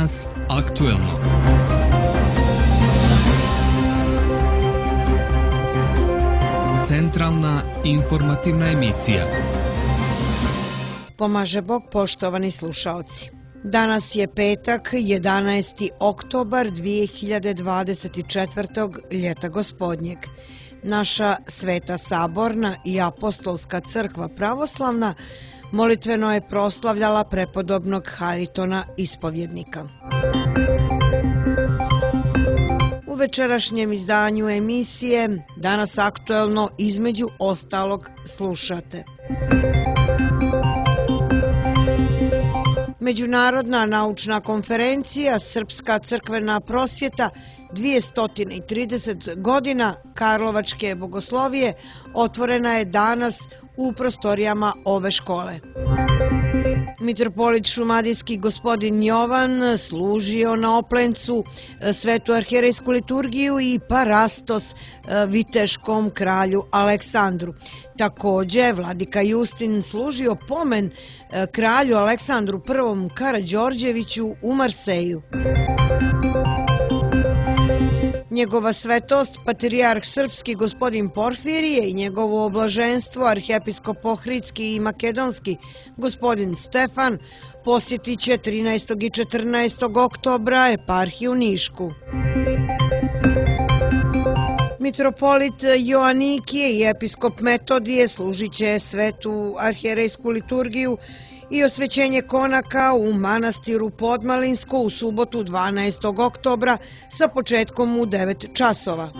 Danas aktuelno. Centralna informativna emisija. Pomaže Bog, poštovani slušaoci. Danas je petak, 11. oktobar 2024. ljeta gospodnjeg. Naša Sveta Saborna i Apostolska crkva pravoslavna molitveno je proslavljala prepodobnog Haritona ispovjednika. U večerašnjem izdanju emisije Danas aktuelno između ostalog slušate. Međunarodna naučna konferencija Srpska crkvena prosvjeta 230 godina Karlovačke bogoslovije otvorena je danas u prostorijama ove škole. Mitropolit šumadijski gospodin Jovan služio na Oplencu svetu arhijerejsku liturgiju i parastos viteškom kralju Aleksandru. Također, vladika Justin služio pomen kralju Aleksandru I Karađorđeviću u Marseju. Njegova svetost, patrijarh srpski gospodin Porfirije i njegovo oblaženstvo, arhijepiskop Ohridski i makedonski gospodin Stefan, posjetit će 13. i 14. oktobra eparhiju Nišku. Mitropolit Joanikije i episkop Metodije služit će svetu arhijerejsku liturgiju i osvećenje konaka u manastiru Podmalinsko u subotu 12. oktobra sa početkom u 9 časova.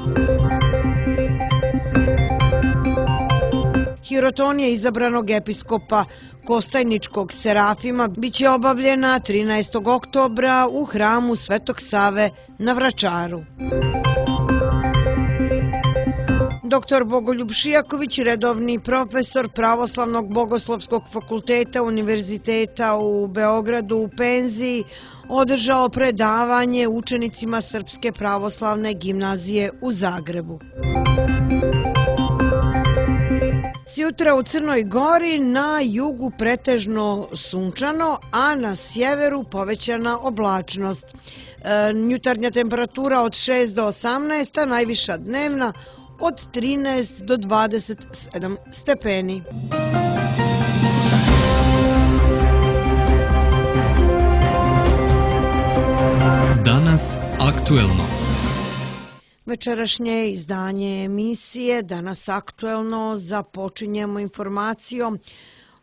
Hirotonija izabranog episkopa Kostajničkog Serafima biće obavljena 13. oktobra u hramu Svetog Save na Vračaru. Dr. Bogoljub Šijaković, redovni profesor Pravoslavnog bogoslovskog fakulteta Univerziteta u Beogradu u penziji, održao predavanje učenicima Srpske pravoslavne gimnazije u Zagrebu. Sjutra u Crnoj Gori, na jugu pretežno sunčano, a na sjeveru povećana oblačnost. Jutarnja temperatura od 6 do 18, a najviša dnevna od 13 do 27 stepeni. Danas aktuelno. Večerašnje izdanje emisije Danas aktuelno započinjemo informacijom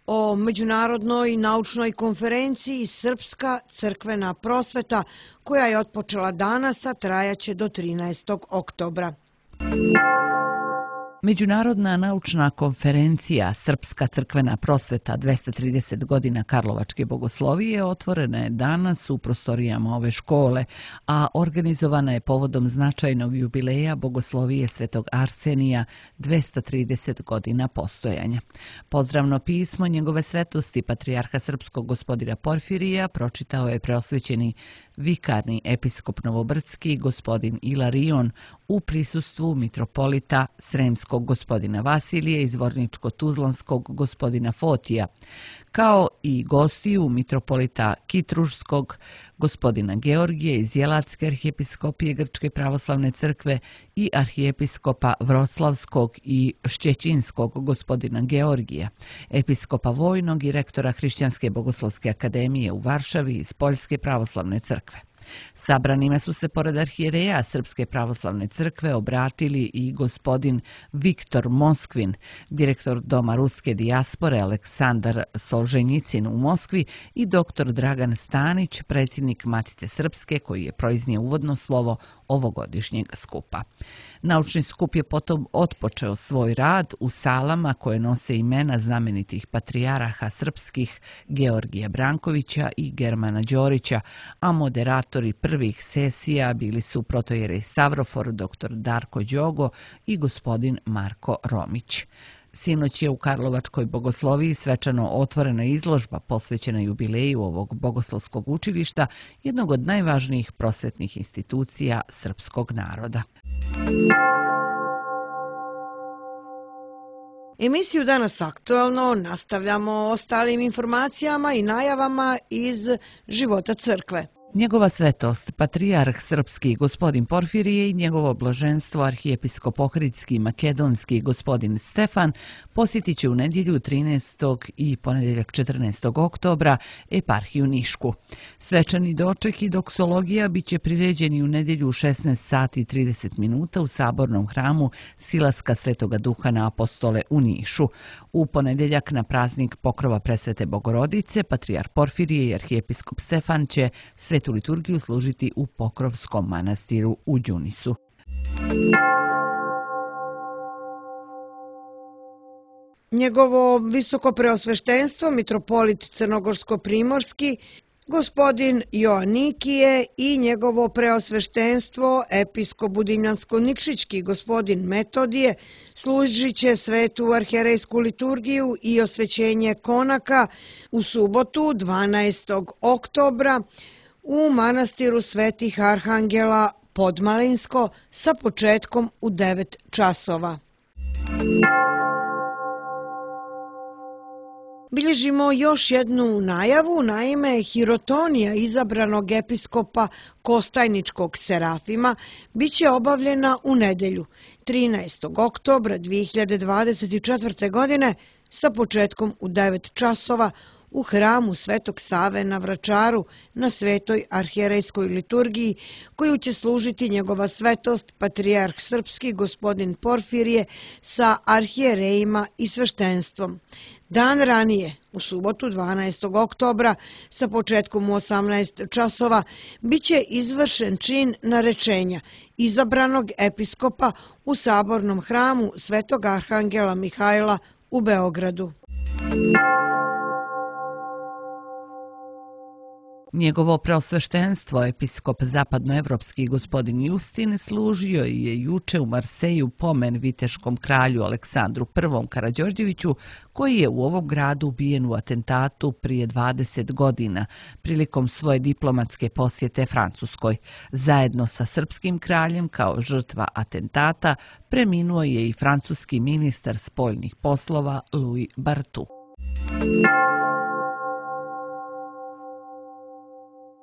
o Međunarodnoj naučnoj konferenciji Srpska crkvena prosveta koja je otpočela danas, a trajaće do 13. oktobra. Međunarodna naučna konferencija Srpska crkvena prosveta 230 godina Karlovačke bogoslovije otvorena je danas u prostorijama ove škole, a organizovana je povodom značajnog jubileja bogoslovije Svetog Arsenija 230 godina postojanja. Pozdravno pismo njegove svetosti patrijarha srpskog gospodina Porfirija pročitao je preosvećeni vikarni episkop Novobrdski gospodin Ilarion u prisustvu mitropolita Sremskog gospodina Vasilije i Zvorničko-Tuzlanskog gospodina Fotija, kao i gostiju mitropolita Kitrušskog gospodina Georgije iz Jelatske arhijepiskopije Grčke pravoslavne crkve i arhijepiskopa Vroclavskog i Šćećinskog gospodina Georgija, episkopa Vojnog i rektora Hrišćanske bogoslovske akademije u Varšavi iz Poljske pravoslavne crkve. Sabranima su se pored arhijereja Srpske pravoslavne crkve obratili i gospodin Viktor Moskvin, direktor Doma ruske dijaspore Aleksandar Solženjicin u Moskvi i dr. Dragan Stanić, predsjednik Matice Srpske, koji je proiznio uvodno slovo ovogodišnjeg skupa. Naučni skup je potom otpočeo svoj rad u salama koje nose imena znamenitih patrijaraha srpskih Georgija Brankovića i Germana Đorića, a moderatori prvih sesija bili su protojerej Stavrofor, dr. Darko Đogo i gospodin Marko Romić. Sinoć je u Karlovačkoj bogosloviji svečano otvorena izložba posvećena jubileju ovog bogoslovskog učilišta, jednog od najvažnijih prosvetnih institucija srpskog naroda. Emisiju Danas aktuelno nastavljamo ostalim informacijama i najavama iz života crkve. Njegova svetost, patrijarh srpski gospodin Porfirije i njegovo blaženstvo arhijepiskop ohridski i makedonski gospodin Stefan posjetit će u nedjelju 13. i ponedjeljak 14. oktobra eparhiju Nišku. Svečani doček i doksologija bit će priređeni u nedjelju u 16 sati i 30 minuta u sabornom hramu Silaska Svetoga Duha na Apostole u Nišu. U ponedjeljak na praznik pokrova Presvete Bogorodice, patrijarh Porfirije i arhijepiskop Stefan će svetu liturgiju služiti u Pokrovskom manastiru u Đunisu. Njegovo visoko preosveštenstvo, mitropolit Crnogorsko-primorski, gospodin Joanikije i njegovo preosveštenstvo, episkop Budimljansko-Nikšićki, gospodin Metodije, služit će svetu arhijerejsku liturgiju i osvećenje konaka u subotu 12. oktobra u manastiru Svetih Arhangela Podmalinsko sa početkom u 9 časova. Bilježimo još jednu najavu, naime hirotonija izabranog episkopa Kostajničkog Serafima biće obavljena u nedjelju 13. oktobra 2024. godine sa početkom u 9 časova u hramu Svetog Save na Vračaru na Svetoj arhijerejskoj liturgiji koju će služiti njegova svetost patrijarh srpski gospodin Porfirije sa arhijerejima i sveštenstvom. Dan ranije, u subotu 12. oktobra, sa početkom u 18 časova, bit će izvršen čin narečenja izabranog episkopa u sabornom hramu Svetog Arhangela Mihajla u Beogradu. Njegovo preosveštenstvo, episkop zapadnoevropski gospodin Justin, služio je juče u Marseju pomen viteškom kralju Aleksandru I Karađorđeviću, koji je u ovom gradu ubijen u atentatu prije 20 godina prilikom svoje diplomatske posjete Francuskoj. Zajedno sa srpskim kraljem kao žrtva atentata preminuo je i francuski ministar spoljnih poslova Louis Barthou.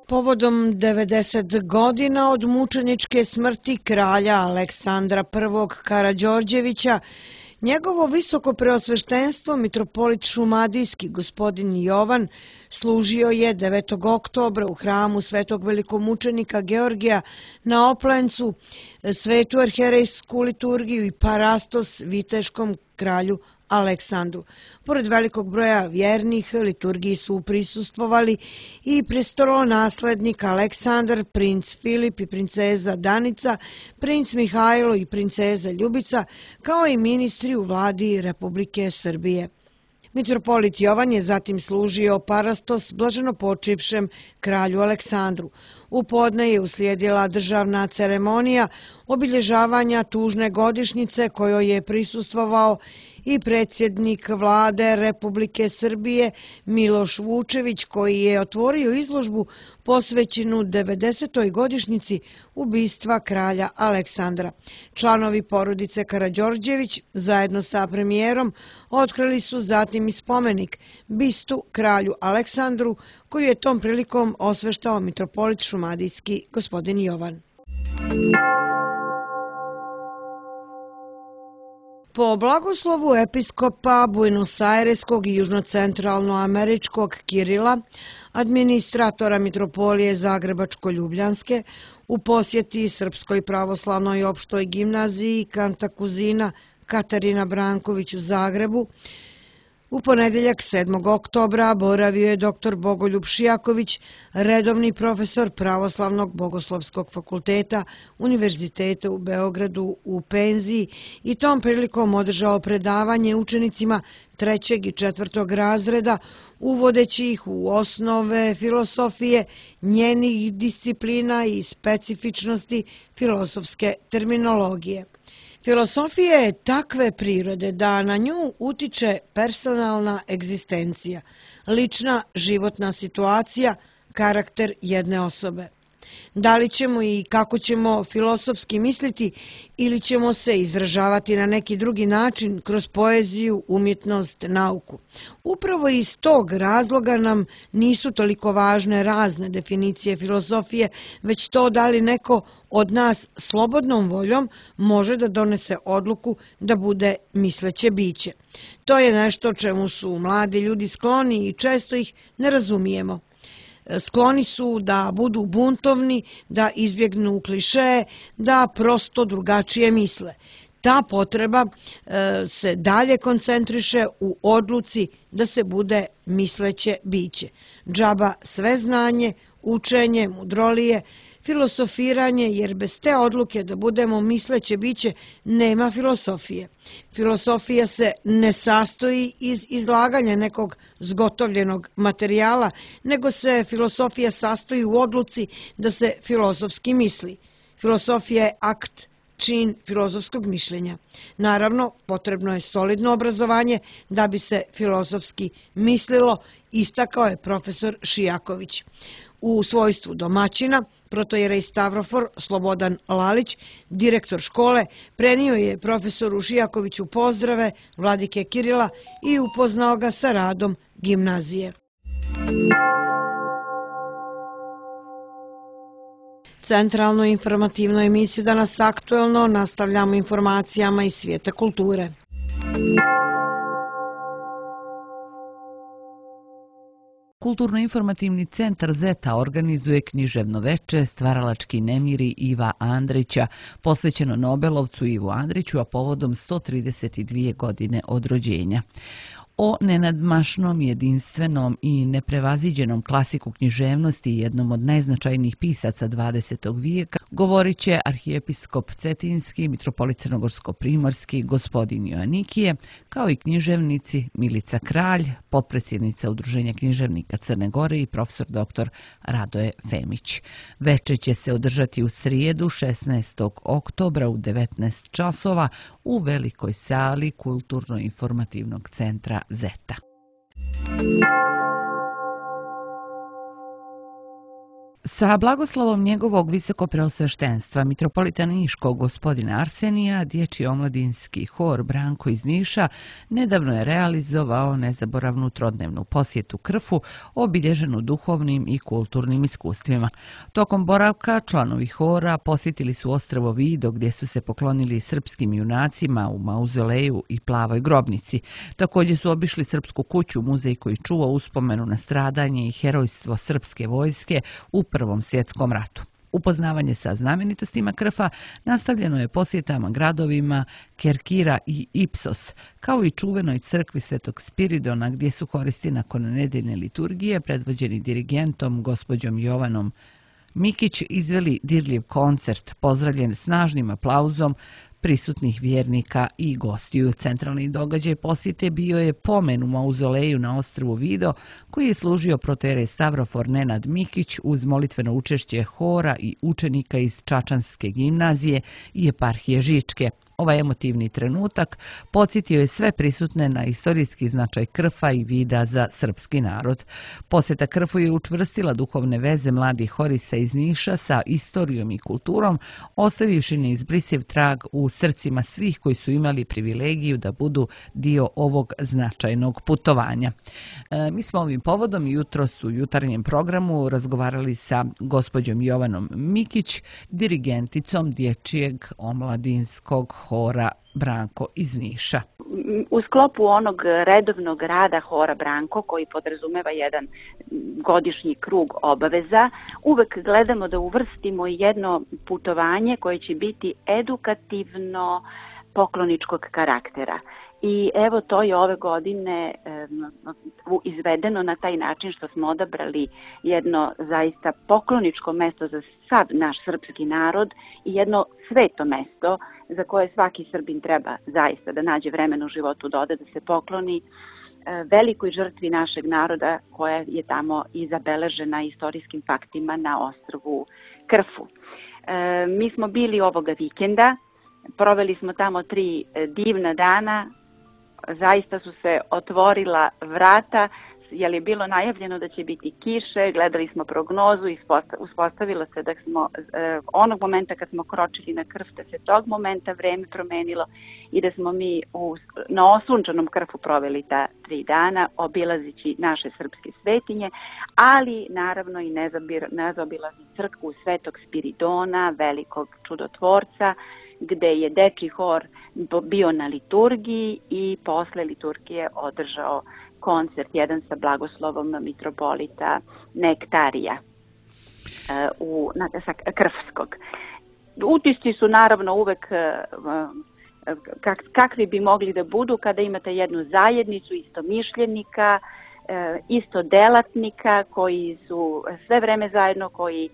Povodom 90 godina od mučeničke smrti kralja Aleksandra I Karađorđevića, njegovo visoko preosveštenstvo, mitropolit šumadijski gospodin Jovan, služio je 9. oktobra u hramu Svetog velikomučenika Georgija na Oplencu, svetu arhijerejsku liturgiju i parastos viteškom kralju Aleksandru. Pored velikog broja vjernih, liturgiji su prisustvovali i prestolonaslednik Aleksandar, princ Filip i princeza Danica, princ Mihajlo i princeza Ljubica, kao i ministri u vladi Republike Srbije. Mitropolit Jovan je zatim služio parastos blaženopočivšem kralju Aleksandru. U podne je uslijedila državna ceremonija obilježavanja tužne godišnjice kojoj je prisustvovao i predsjednik vlade Republike Srbije Miloš Vučević, koji je otvorio izložbu posvećenu 90. godišnjici ubistva kralja Aleksandra. Članovi porodice Karađorđević zajedno sa premijerom otkrili su zatim i spomenik bistu kralju Aleksandru, koju je tom prilikom osveštao mitropolit šumadijski gospodin Jovan. Po blagoslovu episkopa Buenos Aireskog i južnocentralnoameričkog Kirila, administratora mitropolije Zagrebačko-Ljubljanske, u posjeti Srpskoj pravoslavnoj opštoj gimnaziji Kantakuzina Katarina Branković u Zagrebu, u ponedjeljak 7. oktobra boravio je dr. Bogoljub Šijaković, redovni profesor Pravoslavnog bogoslovskog fakulteta Univerziteta u Beogradu u penziji i tom prilikom održao predavanje učenicima 3. i 4. razreda, uvodeći ih u osnove filosofije, njenih disciplina i specifičnosti filosofske terminologije. Filosofija je takve prirode da na nju utiče personalna egzistencija, lična životna situacija, karakter jedne osobe. Da li ćemo i kako ćemo filosofski misliti ili ćemo se izražavati na neki drugi način kroz poeziju, umjetnost, nauku. Upravo iz tog razloga nam nisu toliko važne razne definicije filosofije, već to da li neko od nas slobodnom voljom može da donese odluku da bude misleće biće. To je nešto čemu su mladi ljudi skloni i često ih ne razumijemo. Skloni su da budu buntovni, da izbjegnu klišeje, da prosto drugačije misle. Ta potreba se dalje koncentriše u odluci da se bude misleće biće. Džaba sve znanje, učenje, mudrolije, filosofiranje, jer bez te odluke da budemo misleće biće nema filosofije. Filosofija se ne sastoji iz izlaganja nekog zgotovljenog materijala, nego se filosofija sastoji u odluci da se filozofski misli. Filosofija je akt, čin filozofskog mišljenja. Naravno, potrebno je solidno obrazovanje da bi se filozofski mislilo, istakao je profesor Šijaković. U svojstvu domaćina, protojerej Stavrofor Slobodan Lalić, direktor škole, prenio je profesoru Šijakoviću pozdrave vladike Kirila i upoznao ga sa radom gimnazije. Centralnu informativnu emisiju Danas aktuelno nastavljamo informacijama iz svijeta kulture. Kulturno-informativni centar Zeta organizuje književno veče Stvaralački nemiri Iva Andrića, posvećeno Nobelovcu Ivu Andriću, a povodom 132 godine od rođenja. O nenadmašnom, jedinstvenom i neprevaziđenom klasiku književnosti i jednom od najznačajnijih pisaca 20. vijeka govorit će arhijepiskop Cetinski, mitropolit Crnogorsko-primorski, gospodin Joanikije, kao i književnici Milica Kralj, potpredsjednica Udruženja književnika Crne Gore i profesor dr. Radoje Femić. Veče će se održati u srijedu 16. oktobra u 19 časova u velikoj sali Kulturno-informativnog centra Zeta. Sa blagoslovom njegovog visokopreosveštenstva mitropolita Niškog gospodina Arsenija, dječji omladinski hor Branko iz Niša nedavno je realizovao nezaboravnu trodnevnu posjetu Krfu, obilježenu duhovnim i kulturnim iskustvima. Tokom boravka članovi hora posjetili su ostrvo Vido gdje su se poklonili srpskim junacima u mauzoleju i plavoj grobnici. Također su obišli srpsku kuću, muzej koji čuva uspomenu na stradanje i herojstvo srpske vojske u Prvom svjetskom ratu. Upoznavanje sa znamenitostima Krfa nastavljeno je posjetama gradovima Kerkira i Ipsos, kao i čuvenoj crkvi Svetog Spiridona gdje su horisti nakon nedeljne liturgije predvođeni dirigentom gospođom Jovanom Mikić izveli dirljiv koncert, pozdravljen snažnim aplauzom prisutnih vjernika i gostiju. Centralni događaj posjete bio je pomen u mauzoleju na ostrvu Vido, koji je služio protojerej Stavrofor Nenad Mikić uz molitveno učešće hora i učenika iz Čačanske gimnazije i eparhije Žičke. Ovaj emotivni trenutak podsjetio je sve prisutne na istorijski značaj Krfa i Vida za srpski narod. Posjeta Krfu je učvrstila duhovne veze mladih horista iz Niša sa istorijom i kulturom, ostavivši neizbrisiv trag u srcima svih koji su imali privilegiju da budu dio ovog značajnog putovanja. Mi smo ovim povodom jutros u jutarnjem programu razgovarali sa gospođom Jovanom Mikić, dirigenticom dječjeg omladinskog hora Branko iz Niša. U sklopu onog redovnog rada hora Branko, koji podrazumeva jedan godišnji krug obaveza, uvek gledamo da uvrstimo jedno putovanje koje će biti edukativno pokloničkog karaktera. I evo to je ove godine izvedeno na taj način što smo odabrali jedno zaista pokloničko mesto za sav naš srpski narod i jedno sveto mesto za koje svaki Srbin treba zaista da nađe vremena u životu da ode da se pokloni velikoj žrtvi našeg naroda koja je tamo i zabeležena istorijskim faktima na ostrvu Krfu. Mi smo bili ovoga vikenda, proveli smo tamo 3 divna dana, zaista su se otvorila vrata jer je bilo najavljeno da će biti kiše, gledali smo prognozu i uspostavilo se da smo onog momenta kad smo kročili na Krf, da se tog momenta vreme promenilo i da smo mi na osunčanom Krfu proveli ta 3 dana obilazići naše srpske svetinje, ali naravno i nezaobilazni crkvu Svetog Spiridona, velikog čudotvorca, gde je dečji hor bio na liturgiji i posle liturgije održao koncert jedan sa blagoslovom mitropolita Nektarija sa Krfskog. Utisci su naravno uvek kakvi bi mogli da budu kada imate jednu zajednicu istomišljenika, istodelatnika koji su sve vreme zajedno, koji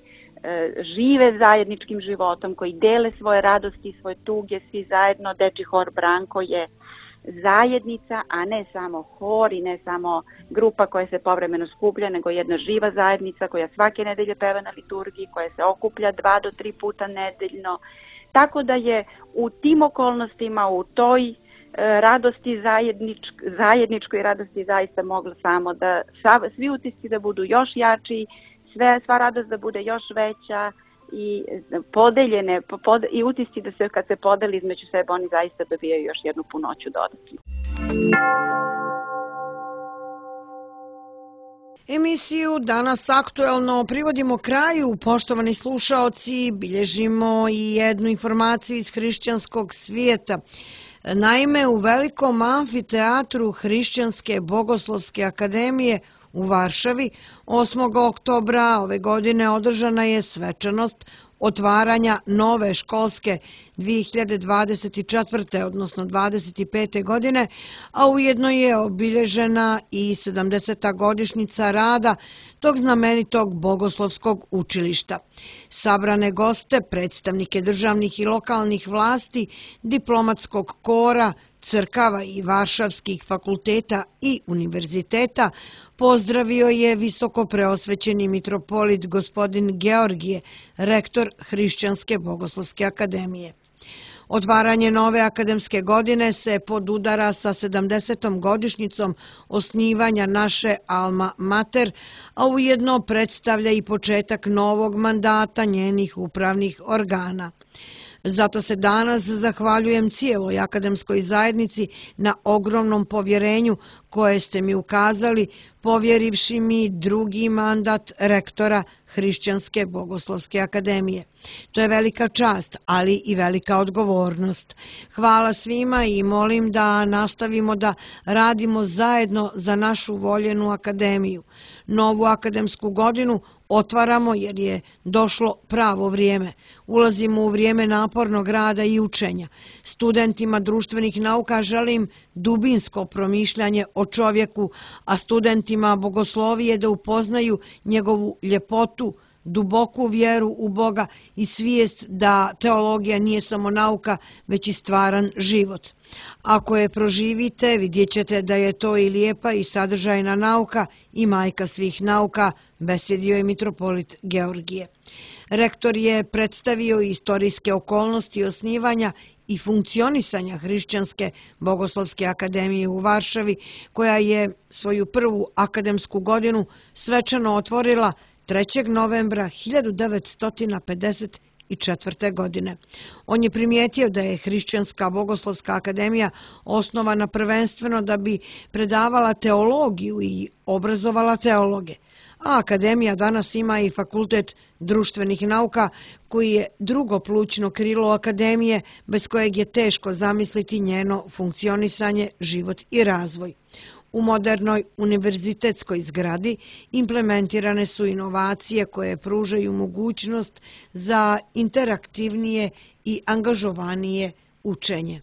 žive zajedničkim životom, koji dele svoje radosti i svoje tuge, svi zajedno. Dečji hor Branko je zajednica, a ne samo hor i ne samo grupa koja se povremeno skuplja, nego jedna živa zajednica koja svake nedelje peva na liturgiji, koja se okuplja 2 do 3 puta nedeljno. Tako da je u tim okolnostima, u toj radosti zajedničkoj radosti zaista moglo samo da svi utisci da budu još jači, sva radost da bude još veća i podeljene i utisci da se kad se podeli između sebe oni zaista dobijaju još jednu punoću dodatnu. Emisiju Danas aktuelno privodimo kraju. Poštovani slušaoci, bilježimo i jednu informaciju iz hrišćanskog svijeta. Naime, u velikom amfiteatru Hrišćanske bogoslovske akademije u Varšavi 8. oktobra ove godine održana je svečanost otvaranja nove školske 2024. odnosno 25. godine, a ujedno je obilježena i 70. godišnjica rada tog znamenitog bogoslovskog učilišta. Sabrane goste, predstavnike državnih i lokalnih vlasti, diplomatskog kora, crkava i varšavskih fakulteta i univerziteta, pozdravio je visoko preosvećeni mitropolit gospodin Georgije, rektor Hrišćanske bogoslovske akademije. Otvaranje nove akademske godine se podudara sa 70. godišnjicom osnivanja naše Alma Mater, a ujedno predstavlja i početak novog mandata njenih upravnih organa. Zato se danas zahvaljujem cijeloj akademskoj zajednici na ogromnom povjerenju koje ste mi ukazali, povjerivši mi drugi mandat rektora Hrišćanske bogoslovske akademije. To je velika čast, ali i velika odgovornost. Hvala svima i molim da nastavimo da radimo zajedno za našu voljenu akademiju. Novu akademsku godinu otvaramo jer je došlo pravo vrijeme. Ulazimo u vrijeme napornog rada i učenja. Studentima društvenih nauka želim dubinsko promišljanje o čovjeku, a studentima bogoslovije da upoznaju njegovu ljepotu, duboku vjeru u Boga i svijest da teologija nije samo nauka, već i stvaran život. Ako je proživite, vidjet ćete da je to i lijepa i sadržajna nauka i majka svih nauka, besjedio je mitropolit Georgije. Rektor je predstavio istorijske okolnosti osnivanja i funkcionisanja Hrišćanske bogoslovske akademije u Varšavi, koja je svoju prvu akademsku godinu svečano otvorila 3. novembra 1954. godine. On je primijetio da je Hrišćanska bogoslovska akademija osnovana prvenstveno da bi predavala teologiju i obrazovala teologe, a akademija danas ima i fakultet društvenih nauka koji je drugo plućno krilo akademije bez kojeg je teško zamisliti njeno funkcionisanje, život i razvoj. U modernoj univerzitetskoj zgradi implementirane su inovacije koje pružaju mogućnost za interaktivnije i angažovanije učenje.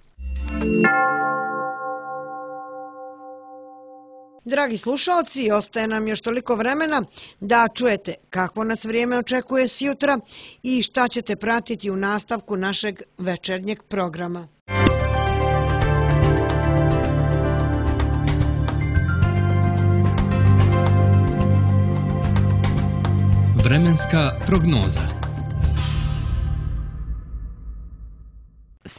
Dragi slušalci, ostaje nam još toliko vremena da čujete kakvo nas vrijeme očekuje sjutra i šta ćete pratiti u nastavku našeg večernjeg programa. Vremenska prognoza.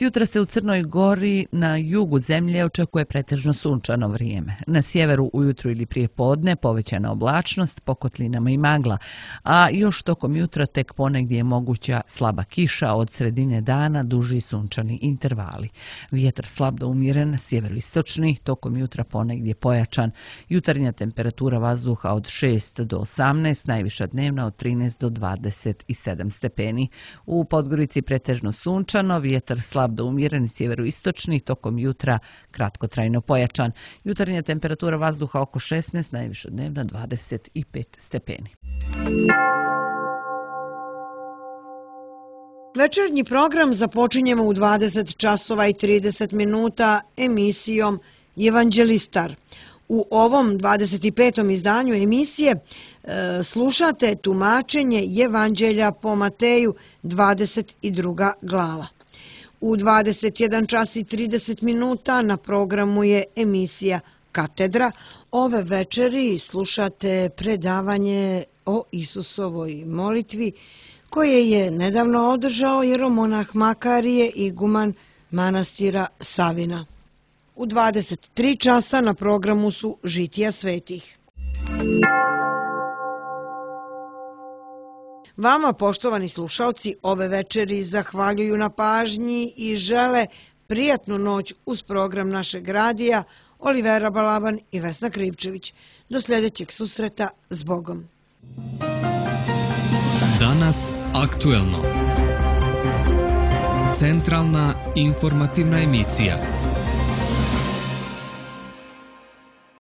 Sjutra se u Crnoj Gori na jugu zemlje očekuje pretežno sunčano vrijeme. Na sjeveru ujutru ili prije podne povećana oblačnost, po kotlinama i magla, a još tokom jutra tek ponegdje je moguća slaba kiša, od sredine dana duži sunčani intervali. Vjetar slab do umjeren, sjeveroistočni, tokom jutra ponegdje pojačan. Jutarnja temperatura vazduha od 6 do 18, najviša dnevna od 13 do 27 stepeni. U Podgorici pretežno sunčano, vjetar slab do umjeren, sjeveroistočni, tokom jutra kratkotrajno pojačan. Jutarnja temperatura vazduha oko 16, najviša dnevna 25 stepeni. Večernji program započinjemo u 20 časova i 30 minuta emisijom Evanđelistar. U ovom 25. izdanju emisije slušate tumačenje Evanđelja po Mateju, 22. glava. U 21 čas i 30 minuta na programu je emisija Katedra. Ove večeri slušate predavanje o Isusovoj molitvi koje je nedavno održao jeromonah Makarije, iguman manastira Savina. U 23 časa na programu su Žitija svetih. Vama, poštovani slušalci, ove večeri zahvaljuju na pažnji i žele prijatnu noć uz program našeg radija Olivera Balaban i Vesna Krivčević. Do sljedećeg susreta, s Bogom. Danas aktuelno. Centralna informativna emisija.